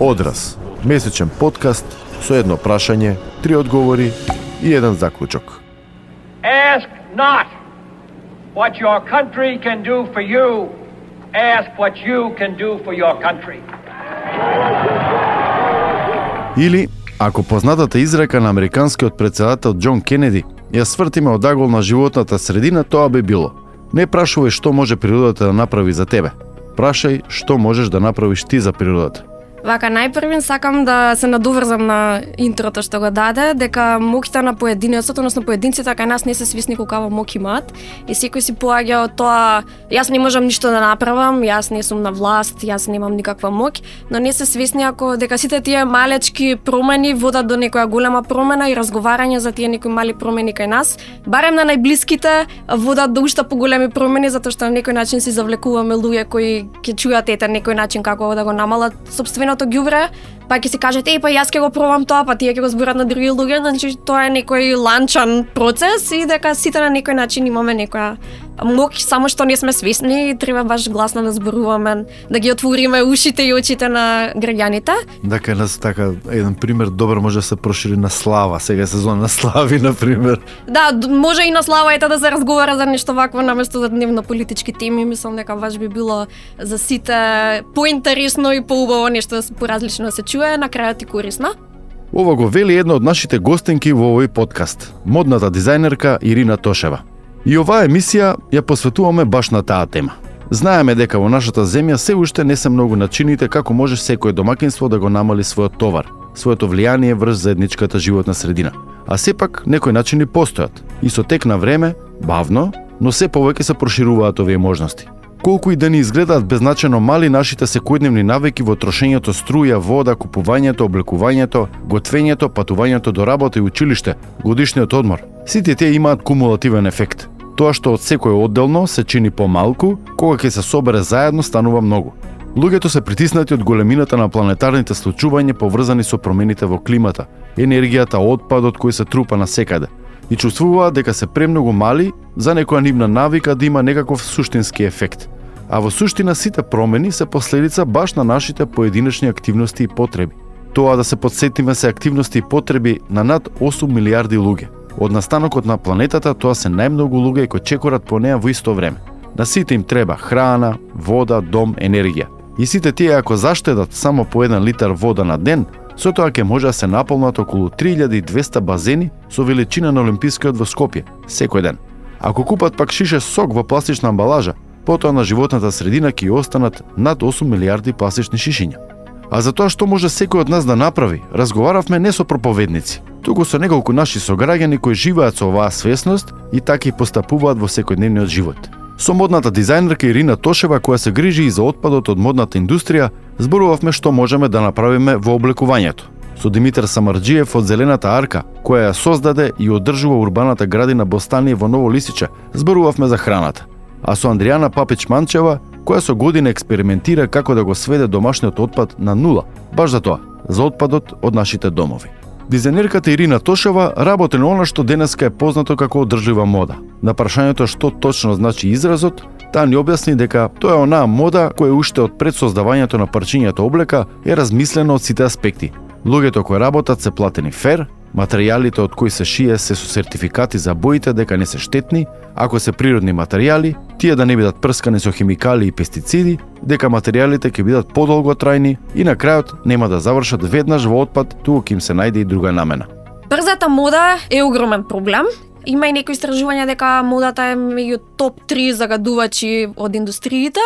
Одраз, месечен подкаст со едно прашање, 3 одговори и еден заклучок. Ask not what your country can do for you. Ask what you can do for your country. Или, ако познатата изрека на американскиот претседател Џон Кенеди ја свртиме од агол на животната средина, тоа би било: не прашувај што може природата да направи за тебе, прашај што можеш да направиш ти за природата. Вака, најпрвен сакам да се надоврзам на интрото што го даде, дека моќта на поединецот, односно поединците кај нас не се свесни колкава моќ имаат и секој си поаѓа од тоа: јас не можам ништо да направам, јас не сум на власт, јас немам никаква моќ, но не се свесни ако дека сите тие малечки промени водат до некоја голема промена и разговарање за тие некои мали промени кај нас, барем на најблиските, водат до уште поголеми промени, затоа што на некој начин си завлекуваме луѓе кои ќе чујат ете некој начин како да го намалат сопственото ѓубре, па ќе си кажете: па јас ќе го пробам тоа, па тие ќе го зборат на други луѓе, значи тоа е некој ланчан процес и дека сите на некој начин имаме некоја моќ, само што не сме свесни и треба баш гласно да зборуваме, да ги отвориме ушите и очите на граѓаните. Дека нас така еден пример добар може да се прошири на слава, сега е сезон на слави на пример. Да, може и на слава ете да се разговара за нешто вакво наместо за дневно политички теми, мислам дека баш би било за сите поинтересно и поубаво нешто поразлично да се чуе, на крајот и корисно. Ова го вели една од нашите гостинки во овој подкаст, модната дизајнерка Ирина Тошева. И оваа емисија ја посветуваме баш на таа тема. Знаеме дека во нашата земја се уште не се многу начините како може секој домакинство да го намали својот товар, своето влијание врз заедничката животна средина. А сепак некои начини постојат и со тек на време, бавно, но се повеќе се прошируваат овие можности. Колку и да ни изгледаат беззначајно мали нашите секојдневни навики во трошењето струја, вода, купувањето, облекувањето, готвењето, патувањето до работа и училиште, годишниот одмор, сите тие имаат кумулативен ефект. Тоа што од секој одделно се чини помалку, кога ќе се собере заедно станува многу. Луѓето се притиснати од големината на планетарните случувања поврзани со промените во климата, енергијата, отпадот кој се трупа насекаде, и чувствуваат дека се премногу мали за некоја нивна навика да има некаков суштински ефект. А во суштина сите промени се последица баш на нашите поединечни активности и потреби. Тоа да се подсетиме се активности и потреби на над 8 милиарди луѓе. Од настанокот на планетата тоа се најмногу луѓе кои чекорат по неа во исто време. На сите им треба храна, вода, дом, енергија. И сите тие ако заштедат само по 1 литар вода на ден, со тоа ќе може да се наполнат околу 3200 базени со величина на Олимпискиот во Скопје секој ден. Ако купат пак шише сок во пластична амбалажа, потоа на животната средина ќе останат над 8 милиарди пластични шишиња. А за тоа што може секој од нас да направи, разговаравме не со проповедници, туку со неколку наши сограѓани кои живеат со оваа свесност и така и постапуваат во секојдневниот живот. Со модната дизајнерка Ирина Тошева, која се грижи и за отпадот од модната индустрија, зборувавме што можеме да направиме во облекувањето. Со Димитар Самарџиев од Зелената арка, која ја создаде и одржува урбаната градина Бостание во Ново Лисиче, зборувавме за храната. А со Андријана Папич-Манчева, која со година експериментира како да го сведе домашниот отпад на нула, баш за тоа, за отпадот од нашите домови. Дизајнерката Ирина Тошева работи на она што денеска е познато како одржлива мода. На прашањето што точно значи изразот, таа ни објасни дека тоа е онаа мода која уште од пред создавањето на парчињата облека е размислена од сите аспекти. Луѓето кои работат се платени фер, материјалите од кои се шие се со сертификати за боите дека не се штетни, ако се природни материјали, тие да не бидат прскани со химикали и пестициди, дека материјалите ќе бидат подолго трајни и на крајот нема да завршат веднаш во отпад, туку ќе им се најде и друга намена. Брзата мода е огромен проблем. Има и некои истражувања дека модата е меѓу топ 3 загадувачи од индустриите.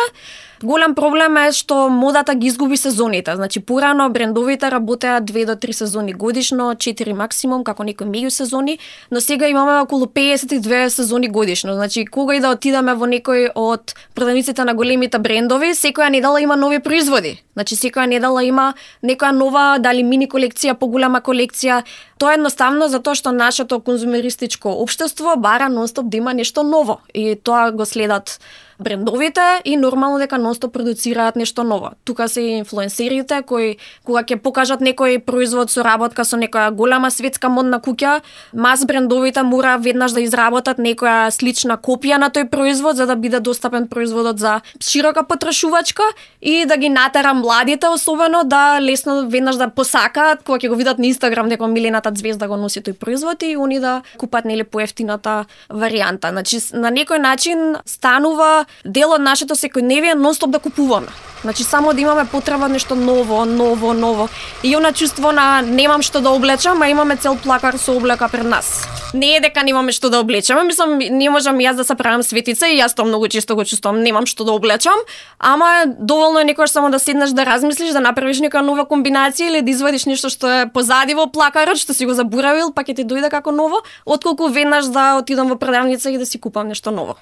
Голем проблем е што модата ги изгуби сезоните. Значи, порано брендовите работеа 2 до 3 сезони годишно, 4 максимум, како некои меѓусезони, но сега имаме околу 52 сезони годишно. Значи, кога и да отидеме во некој од продавниците на големите брендови, секоја недела има нови производи. Значи, секоја недела има некоја нова, дали мини колекција, поголема колекција. Тоа е едноставно затоа што нашето конзумеристичко општество бара нонстоп да има нешто ново и тоа го следат брендовите и нормално дека нонстоп продуцираат нешто ново. Тука се и инфлуенсерите кои кога ќе покажат некој производ со работка со некоја голема светска модна куќа, мас брендовите мора веднаш да изработат некоја слична копија на тој производ за да биде достапен производот за широка потрошувачка и да ги натера младите особено да лесно веднаш да посакаат кога ќе го видат на Инстаграм дека милената звезда го носи тој производ и они да купат нели поевтината варијанта. Значи на некој начин станува дел од нашето секојдневие нонстоп да купуваме. Значи само да имаме потреба нешто ново. И она чувство на немам што да облечам, а имаме цел плакар со облека пред нас. Не е дека немаме што да облечеме, мислам не можам јас да се правам светица и јас тоа многу често го чувствувам, немам што да облечам, ама доволно е некогаш само да седнеш да размислиш, да направиш нека нова комбинација или да извадиш нешто што е позади во плакарот, што си го заборавил, па ќе ти дојде како ново, отколку веднаш да отидам во продавница и да си купам нешто ново.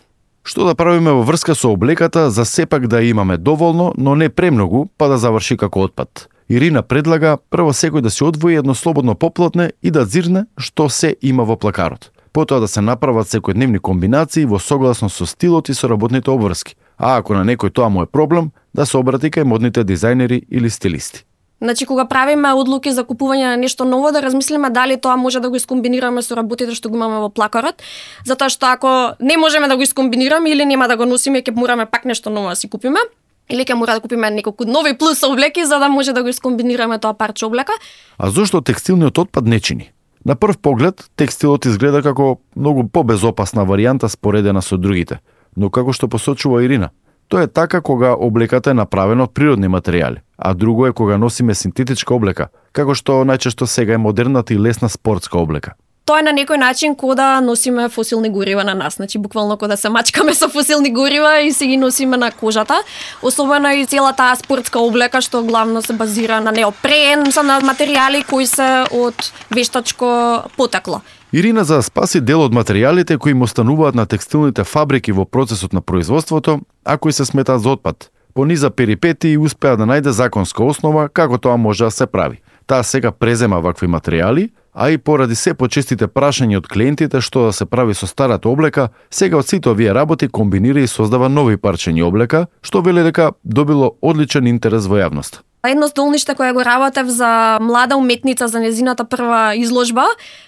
Што да правиме во врска со облеката за сепак да имаме доволно, но не премногу, па да заврши како отпад? Ирина предлага прво секој да си одвои едно слободно поплатне и да зирне што се има во плакарот. Потоа да се направат секојдневни комбинации во согласно со стилот и со работните обврски. А ако на некој тоа му е проблем, да се обрати кај модните дизајнери или стилисти. Значи, кога правиме одлуки за купување на нешто ново, да размислиме дали тоа може да го искомбинираме со работите што го имаме во плакарот, затоа што ако не можеме да го искомбинираме или нема да го носиме, ќе мораме пак нешто ново да си купиме, или ќе мора да купиме неколку нови плюс облеки за да може да го искомбинираме тоа парче облека. А зошто текстилниот отпад не чини? На прв поглед, текстилот изгледа како многу побезопасна варијанта споредена со другите, но како што посочува Ирина, тоа е така кога облеката е направена од природни материјали, а друго е кога носиме синтетичка облека, како што најчесто сега е модерната и лесна спортска облека. Тоа е на некој начин кога да носиме фосилни горива на нас, значи буквално кога да се мачкаме со фосилни горива и се ги носиме на кожата, особено и цела таа спортска облека што главно се базира на неопрен, на материјали кои се од вештачко потекло. Ирина за да спаси дел од материјалите кои му остануваат на текстилните фабрики во процесот на производството, а кои се сметаат за отпад. По низа перипети и успеа да најде законска основа како тоа може да се прави. Таа сега презема вакви материјали, а и поради се почестите прашања од клиентите што да се прави со старата облека, сега од сите овие работи комбинира и создава нови парчења облека, што вели дека добило одличен интерес во јавноста. Едно здолниште кое го работев за млада уметница за незината прва изложба,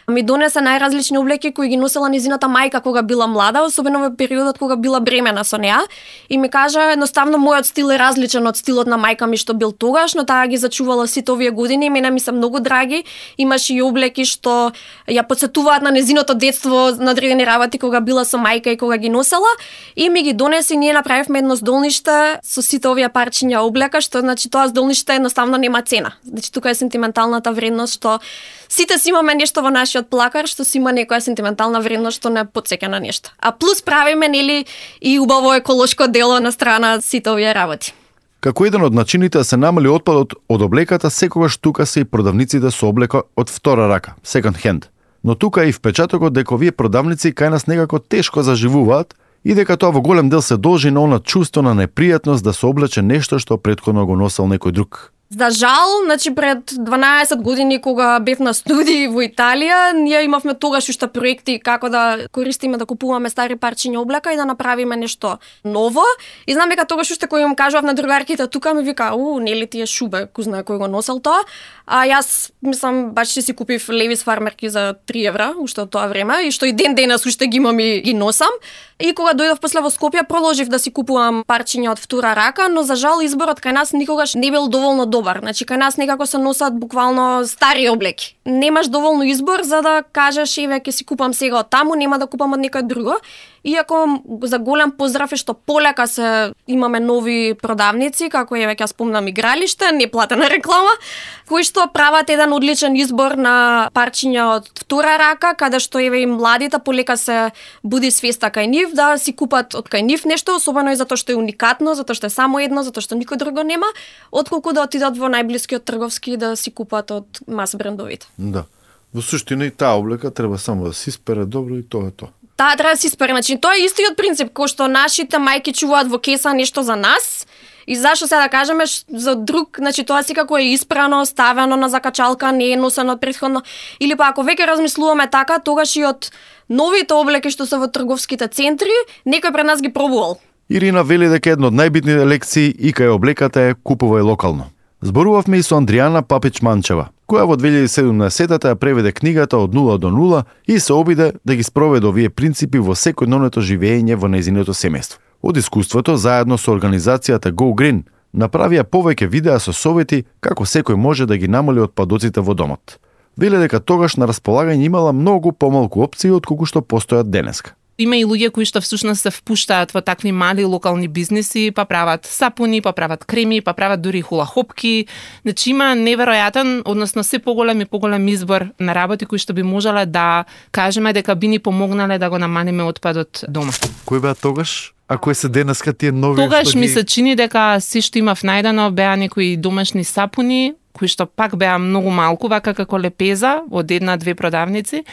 ми донесе најразлични облеки кои ги носела незината мајка кога била млада, особено во периодот кога била бремена со неа, и ми кажа едноставно мојот стил е различен од стилот на мајка ми што бил тогаш, но таа ги зачувала сите овие години и мене ми се многу драги. Имаше и облеки што ја потсетуваат на незиното детство на одредени работи кога била со мајка и кога ги носела, и ми ги донесе и ние направивме едно здолниште со сите овие парчиња облека, што значи тоа здолниште едноставно нема цена. Значи тука е сентименталната вредност што сите си имаме нешто во нашиот плакар што си има некоја сентиментална вредност што не потсеќа на нешто. А плюс правиме нели и убаво еколошко дело на страна сите овие работи. Како еден од начините да се намали отпадот од облеката, секогаш тука се и продавниците со облека од втора рака, second hand. Но тука е и впечатокот дека овие продавници кај нас некако тешко заживуваат и дека тоа во голем дел се должи на она чувство на непријатност да се облече нешто што претходно го носел некој друг. За жал, значи пред 12 години кога бев на студии во Италија, ние имавме тогаш уште проекти како да користиме да купуваме стари парчиња облека и да направиме нешто ново. И знам дека тогаш уште кој им кажував на другарките тука ми вика: нели ти е шубе, кој знае кој го носел тоа. А јас мислам баш си купив Levi's фармерки за 3 евра уште од тоа време и што и ден денес уште ги имам и ги носам. И кога дојдов после во Скопје продолжив да си купувам парчиња од втора рака, но за жал изборот кај нас никогаш не бил доволно добар. Значи кај нас некако се носат буквално стари облеки. Немаш доволно избор за да кажеш еве ќе си купам сега од таму, нема да купам од некој друго. Иако за голем поздрав е што полека се имаме нови продавници, како еве ќе спомнам игралиште, неплатена реклама, кои што прават еден одличен избор на парчиња од втора рака, каде што еве и младите полека се буди свеста кај нив да си купат од кај нив нешто, особено и затоа што е уникатно, затоа што е само едно, затоа што никој друго нема, отколку да отидат во најблискиот трговски да си купат од мас брендовите. Да. Во суштина и таа облека треба само да се испере добро и тоа е тоа. Таа треба да се испере, значи тоа е истиот принцип кој што нашите мајки чуваат во кеса нешто за нас. И зашто сега да кажеме за друг, значи тоа секако е испрано, ставено на закачалка, не е носено претходно. Или па ако веќе размислуваме така, тогаш и од новите облеки што се во трговските центри, некој пред нас ги пробувал. Ирина вели дека едно од најбитните лекции и кај облеката е купувај локално. Зборувавме и со Андријана Папич-Манчева, која во 2017 ја преведе книгата Од нула до нула и се обиде да ги спроведе овие принципи во секојдневното живење во нејзиното семејство. Од искуството, заедно со организацијата Go Green, направија повеќе видеа со совети како секој може да ги намали отпадоците во домот. Веле дека тогаш на располагање имала многу помалку опции од колку што постојат денеска. Има и луѓе кои што всушност се впуштаат во такви мали локални бизниси, па прават сапуни, па прават креми, па прават дури хулахопки. Значи има неверојатен, односно се поголем и поголем избор на работи кои што би можеле да кажеме дека би ни помогнале да го намалиме отпадот дома. Кој беа тогаш? А кои се денеска тие нови? Тогаш ми се чини дека се што имав најдено беа некои домашни сапуни, кои што пак беа многу малку, вака како лепеза од една-две продавници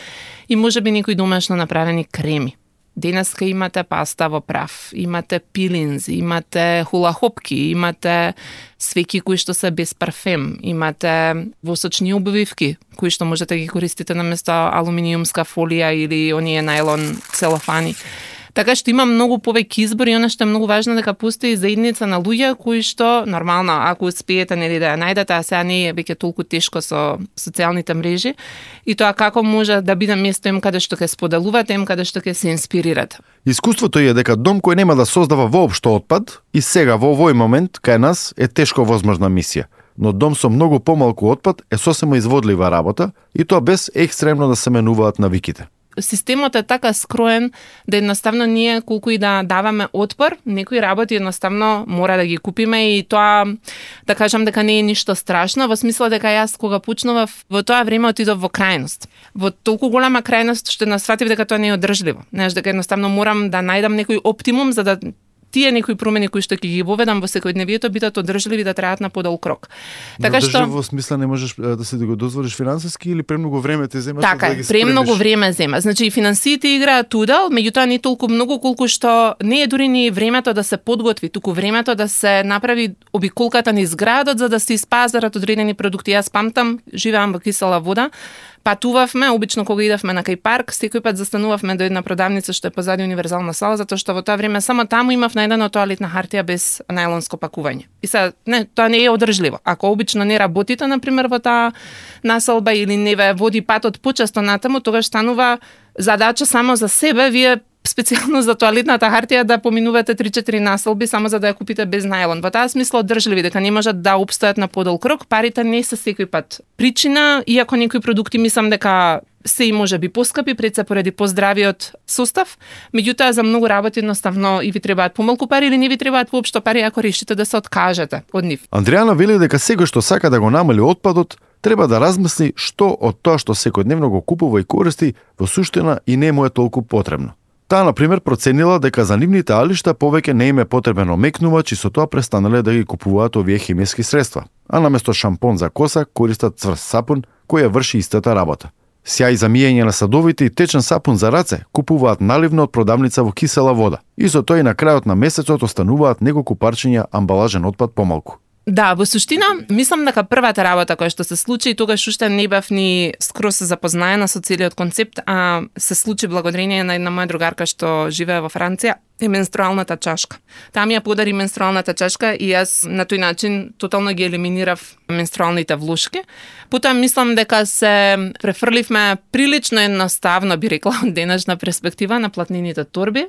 и можеби некои домашно направени креми. Денеска имате паста во прав, имате пилинзи, имате хулахопки, имате свеќи кои што се без парфем, имате восочни обвивки кои што можете да ги користите наместо алуминиумска фолија или оние најлон целофани. Така што има многу повеќе избор и она што е многу важно дека постои заедница на луѓе кои што нормално ако успеете нели да ја најдете, а сега не е веќе толку тешко со социјалните мрежи и тоа како може да биде место им каде што ќе споделувате, им каде што ќе се инспирирате. Искуството е дека дом кој нема да создава воопшто отпад и сега во овој момент кај нас е тешко возможна мисија. Но дом со многу помалку отпад е сосема изводлива работа и тоа без екстремно да се менуваат навиките. Системот е така скроен да едноставно ние колку и да даваме отпор, некои работи едноставно мора да ги купиме и тоа да кажам дека не е ништо страшно, во смисла дека јас кога почнував во тоа време отидов во крајност. Во толку голема крајност што насватив дека тоа не е одржливо. Знаеш дека едноставно морам да најдам некој оптимум за да тие некои промени кои што ќе ги воведам во секојдневието бидат одржливи да траат на подолг рок. Така што во смисла не можеш да се го дозволиш финансиски или премногу време те зема така, да ги спремиш. Премногу време зема. Значи и финансиите играат удел, меѓутоа не толку многу колку што не е дури ни времето да се подготви, туку времето да се направи обиколката низ градот за да се испазарат одредени продукти. Јас памтам, живеам во Кисела Вода, патувавме, обично кога идевме на кај парк, секој пат застанувавме до една продавница што е позади универзална сала, затоа што во тоа време само таму имав најдено тоалетна хартија без најлонско пакување. И сега, не, тоа не е одржливо. Ако обично не работите, например, во таа населба или не ве води патот почесто натаму, тогаш станува задача само за себе, вие специјално за тоалетната хартија да поминувате 3-4 населби само за да ја купите без најлон. Во таа смисла одржливи дека не можат да опстојат на подолг рок, парите не се секој пат причина, иако некои продукти мислам дека се и може би поскапи пред се поради поздравиот состав, меѓутоа за многу работи едноставно и ви требаат помалку пари или не ви требаат воопшто пари ако решите да се откажете од нив. Андријана вели дека секој што сака да го намали отпадот треба да размисли што од тоа што секојдневно го купува и користи во суштина и не му е толку потребно. Таа, например, проценила дека за нивните алишта повеќе не им е потребен омекнувач и со тоа престанале да ги купуваат овие хемиски средства, а наместо шампон за коса користат цврст сапун кој ја врши истата работа. Сјај за миење на садовите и течен сапун за раце купуваат наливно од продавница во Кисела Вода и со тоа и на крајот на месецот остануваат неколку парчиња амбалажен отпад помалку. Да, во суштина, мислам дека првата работа која што се случи, и тогаш уште не бев ни скроз запознаена со целиот концепт, а се случи благодарение на една моја другарка што живее во Франција, е менструалната чашка. Таа ми ја подари менструалната чашка и јас на тој начин тотално ги елиминирав менструалните влушки. Потоа мислам дека се префрливме прилично едноставно, би рекла, од денешна перспектива на платнените торби.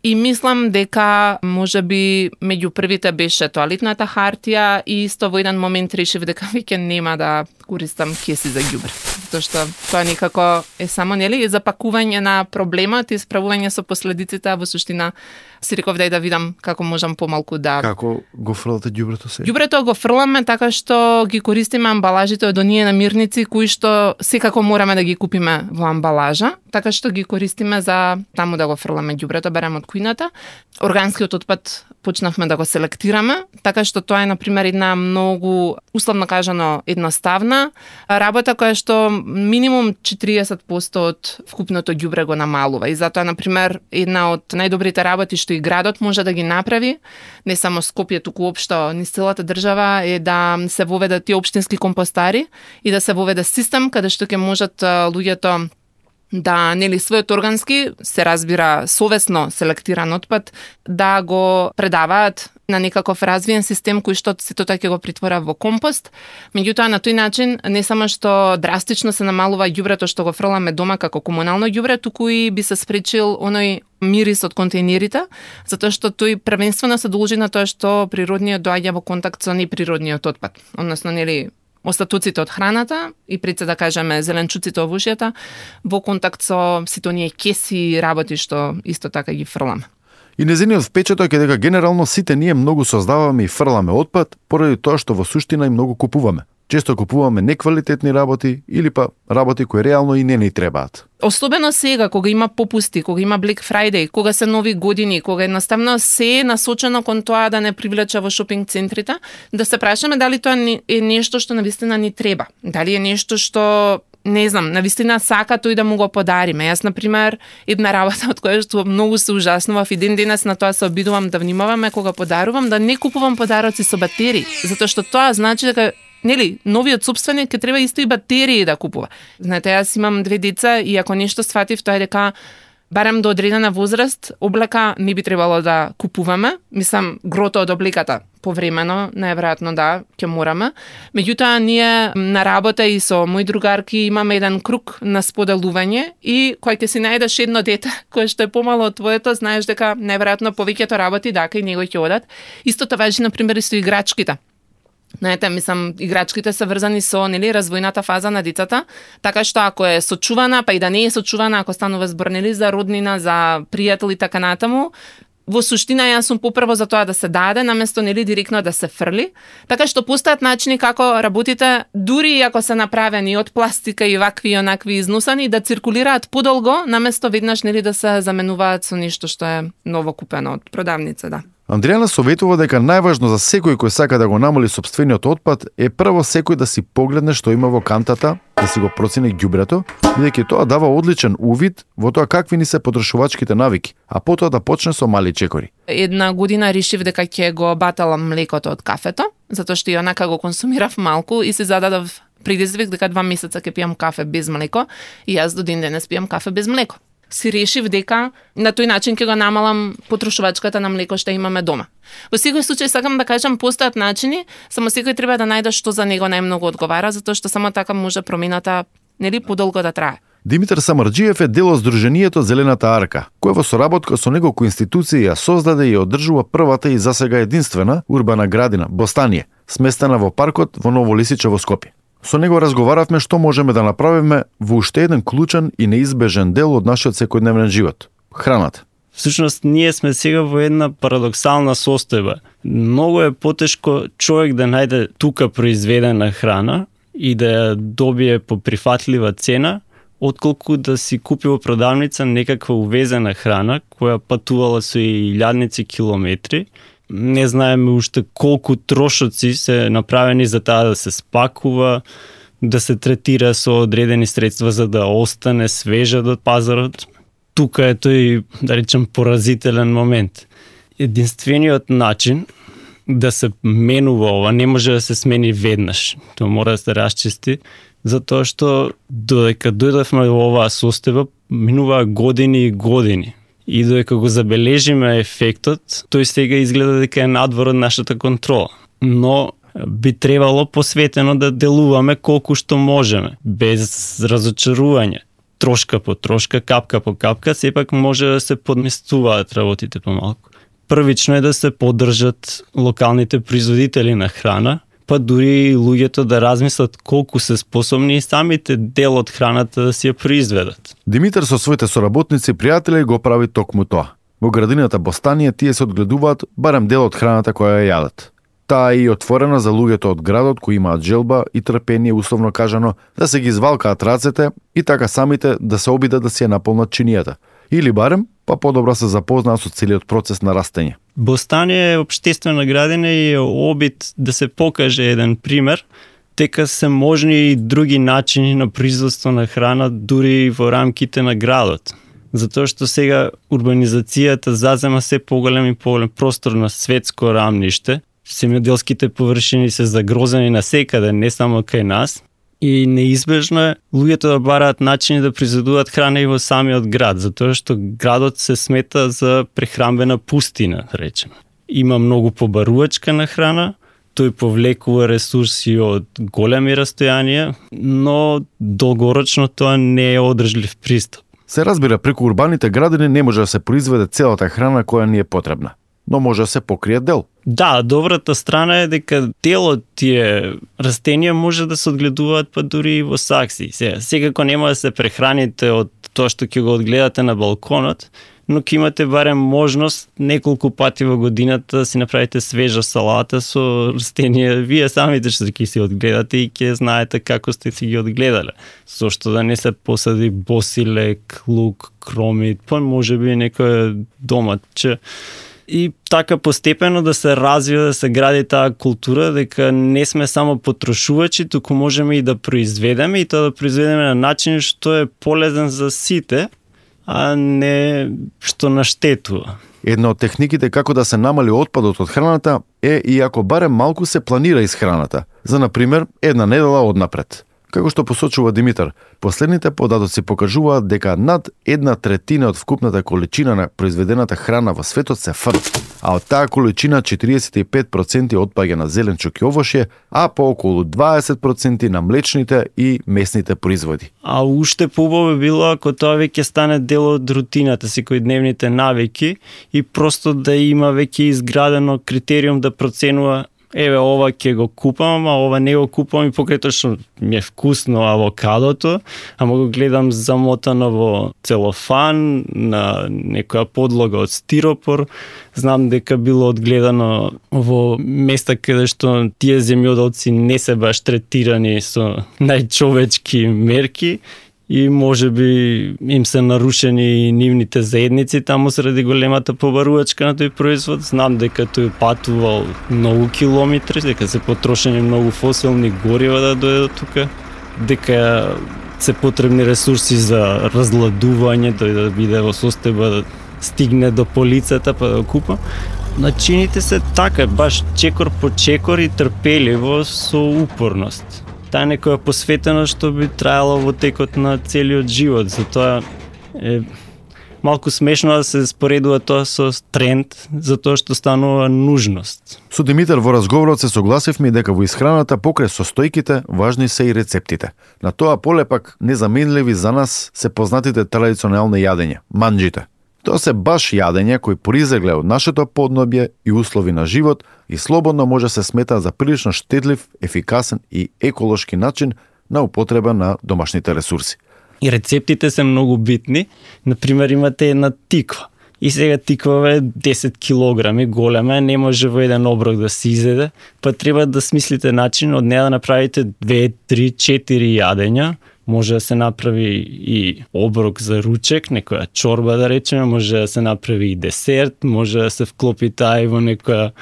И мислам дека можеби меѓу првите беше тоалетната хартија и исто во еден момент решив дека веќе нема да користам кеси за ѓубре. Затоа што тоа некако е само нели запакување на проблемот и справување со последиците, а во суштина си реков да видам како можам помалку да... Како го фрлате ѓубрето се? Ѓубрето го фрламе така што ги користиме амбалажите од оние намирници кои што секако мораме да ги купиме во амбалажа, така што ги користиме за таму да го фрламе ѓубрето, барем од кујната. Органскиот отпад почнавме да го селектираме, така што тоа е, например, една многу, условно кажано, едноставна работа која што минимум 40% од вкупното ѓубре го намалува. И затоа, например, една од најдобрите работи што и градот може да ги направи, не само Скопје, туку општо низ целата држава, е да се воведат тие општински компостари и да се воведе систем каде што ќе можат луѓето да нели својот органски, се разбира совесно селектиран отпад, да го предаваат на некаков развиен систем кој што сето тоа ќе го притвора во компост. Меѓутоа на тој начин не само што драстично се намалува ѓубрето што го фрламе дома како комунално ѓубре, туку и би се спречил оној мирис од контейнерите, затоа што тој првенствено се должи на тоа што природниот доаѓа во контакт со неприродниот отпад, односно нели остатоците од храната и пред се да кажеме зеленчуците од ушјата во контакт со сите оние кеси и работи што исто така ги фрламе. И незиниот впечаток е дека генерално сите ние многу создаваме и фрламе отпад поради тоа што во суштина и многу купуваме. Често купуваме неквалитетни работи или па работи кои реално и не ни требаат. Особено сега, кога има попусти, кога има Black Friday, кога се нови години, кога едноставно се е насочено кон тоа да не привлече во шопинг центрите, да се прашаме дали тоа е нешто што навистина ни треба. Дали е нешто што не знам, навистина сака тој да му го подариме. Јас, например, една работа од која што многу се ужаснував и ден денес на тоа се обидувам да внимаваме кога подарувам, да не купувам подароци со батерии, затоа што тоа значи дека нели, новиот сопственик ќе треба исто и батерии да купува. Знаете, јас имам 2 деца и ако нешто сфатив, тоа е дека барем до одредена возраст, облека не би требало да купуваме. Мислам, грото од облеката повремено, најверојатно да, ќе мораме. Меѓутоа, ние на работа и со мои другарки имаме еден круг на споделување и кој ќе си најдеш едно дете кое што е помало од твоето, знаеш дека најверојатно повеќето работи дака и него ќе одат. Истото важи, например, и со играчките. Знаете, мислам, играчките се врзани со нели развојната фаза на децата, така што ако е сочувана, па и да не е сочувана, ако станува збор нели за роднина, за пријател и така натаму, во суштина јас сум попрво за тоа да се даде, наместо нели директно да се фрли, така што постојат начини како работите, дури и ако се направени од пластика и вакви и онакви износани, да циркулираат подолго, наместо веднаш нели да се заменуваат со нешто што е ново купено од продавница, да. Андријана советува дека најважно за секој кој сака да го намали сопствениот отпад е прво секој да си погледне што има во кантата, да си го процени ѓубрето, бидејќи тоа дава одличен увид во тоа какви ни се потрошувачките навики, а потоа да почне со мали чекори. Една година решив дека ќе го баталам млекото од кафето, затоа што и онака го консумирав малку и се зададов предизвик дека 2 месеца ќе пијам кафе без млеко и јас до ден денес пијам кафе без млеко. Си решив дека на тој начин ќе го намалам потрошувачката на млеко што имаме дома. Во секој случај сакам да кажам постојат начини, само секој треба да најде што за него најмногу одговара, затоа што само така може промената нели подолго да трае. Димитар Самарџиев е дел од Сдруженијето Зелената арка, кој во соработка со неколку институции ја создаде и одржува првата и засега единствена урбана градина Бостание, сместена во паркот во Ново Лисиче во Скопје. Со него разговаравме што можеме да направиме во уште еден клучен и неизбежен дел од нашиот секојдневен живот – храната. Всушност, ние сме сега во една парадоксална состојба. Многу е потешко човек да најде тука произведена храна и да ја добие по прифатлива цена, отколку да си купи во продавница некаква увезена храна која патувала со илјадници километри. Не знаеме уште колку трошоци се направени за таа да се спакува, да се третира со одредени средства за да остане свежа до пазарот. Тука е тој, да речем, поразителен момент. Единствениот начин да се менува ова не може да се смени веднаш. Тоа мора да се расчисти, затоа што додека дојдовме во оваа состојба, минуваа години и години. И додека го забележиме ефектот, тој сега изгледа дека е надвор од нашата контрола. Но би требало посветено да делуваме колку што можеме, без разочарување. Трошка по трошка, капка по капка, сепак може да се подместуваат работите помалку. Првично е да се поддржат локалните производители на храна, па дури луѓето да размислат колку се способни и самите дел од храната да си ја произведат. Димитар со своите соработници и пријатели го прави токму тоа. Во градината Бостание тие се одгледуваат барем дел од храната која ја јадат. Таа е и отворена за луѓето од градот кои имаат желба и трпение, условно кажано, да се ги извалкаат рацете и така самите да се обидат да си ја наполнат чинијата. Или барем, па подобро се запознаат со целиот процес на растење. Бостание е општествена градина и е обид да се покаже еден пример, дека се можни и други начини на производство на храна дури во рамките на градот. Затоа што сега урбанизацијата зазема се поголем и поголем простор на светско рамниште, земјоделските површини се загрозени насекаде, не само кај нас. И неизбежно е луѓето да бараат начини да произведуваат храна и во самиот град, затоа што градот се смета за прехранбена пустина, да речеме. Има многу побарувачка на храна, тој повлекува ресурси од големи растојанија, но долгорочно тоа не е одржлив пристап. Се разбира, преку урбаните градини не може да се произведе целата храна која ни е потребна, но може да се покрие дел. Да, добрата страна е дека дел од тие растенија може да се одгледуваат па дури и во сакси. Секако нема да се прехраните од тоа што ќе го одгледате на балконот, но ќе имате барем можност неколку пати во годината да си направите свежа салата со растенија. Вие самите што ќе си одгледате и ќе знаете како сте си ги одгледале. Зошто да не се посади босилек, лук, кромит, па можеби некој доматче. И така постепено да се развива, да се гради таа култура, дека не сме само потрошувачи, туку можеме и да произведеме, и тоа да произведеме на начин што е полезен за сите, а не што наштетува. Една од техниките како да се намали отпадот од храната е и ако барем малку се планира исхраната, за например една недела однапред. Како што посочува Димитар, последните податоци покажуваат дека над 1/3 од вкупната количина на произведената храна во светот се фрли, а од таа количина 45% отпаѓа на зеленчук и овошје, а по околу 20% на млечните и месните производи. А уште поубаво било ако тоа веќе стане дел од рутината, секојдневните навики и просто да има веќе изградено критериум да проценува еве ова ќе го купам, а ова не го купам и покрај тоа што ми е вкусно авокадото, ама го гледам замотано во целофан на некоја подлога од стиропор. Знам дека било одгледано во места каде што тие земјоделци не се баш третирани со најчовечки мерки и можеби им се нарушени нивните заедници таму заради големата побарувачка на тој производ. Знам дека тој патувал многу километри, дека се потрошени многу фосилни горива да дојде до тука, дека се потребни ресурси за разладување, тој да биде во состојба да стигне до полицата па да купа. Начините се така, баш чекор по чекор и трпеливо со упорност. Таа некоја посветеност што би траело во текот на целиот живот. Затоа е малку смешно да се споредува тоа со тренд, затоа што станува нужност. Со Димитар во разговорот се согласивме дека во исхраната покрај состојките важни се и рецептите. На тоа поле пак незаменливи за нас се познатите традиционални јадења, манџите. Тоа се баш јадења кои произлегле од нашето поднебје и услови на живот и слободно може се смета за прилично штедлив, ефикасен и еколошки начин на употреба на домашните ресурси. И рецептите се многу битни. Например, имате една тиква. И сега тиква е 10 килограми, голема, не може во еден оброк да се изеде, па треба да смислите начин од неа да направите 2, 3, 4 јадења. Може да се направи и оброк за ручек, некоја чорба да речеме, може да се направи и десерт, може да се вклопи таа и во некоја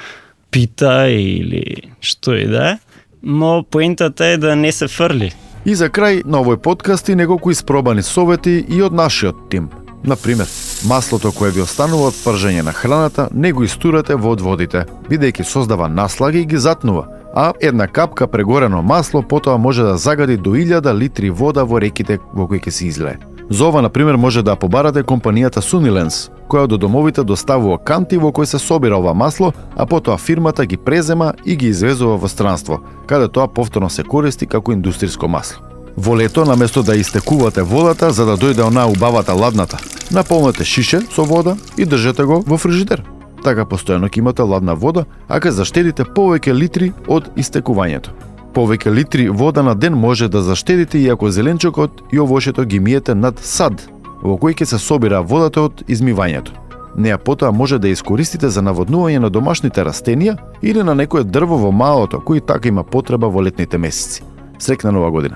пита или што и да е. Но поентата е да не се фрли. И за крај на овој подкаст и неколку испробани совети и од нашиот тим. Например, маслото кое ви останува од пржење на храната не го истурате во водите, бидејќи создава наслаги и ги затнува, а една капка прегорено масло потоа може да загади до 1000 литри вода во реките во кои ќе се излее. За ова, например, може да побарате компанијата Sunilens, која до домовите доставува канти во кои се собира ова масло, а потоа фирмата ги презема и ги извезува во странство, каде тоа повторно се користи како индустријско масло. Во лето, наместо да истекувате водата за да дојде онаа убавата ладната, наполнете шише со вода и држете го во фрижидер. Така постојано ќе имате ладна вода, а ќе заштедите повеќе литри од истекувањето. Повеќе литри вода на ден може да заштедите и ако зеленчукот и овошето ги миете над сад, во кој ќе се собира водата од измивањето. Неа потоа може да искористите за наводнување на домашните растенија или на некое дрво во малото, кој така има потреба во летните месеци. Среќна нова година!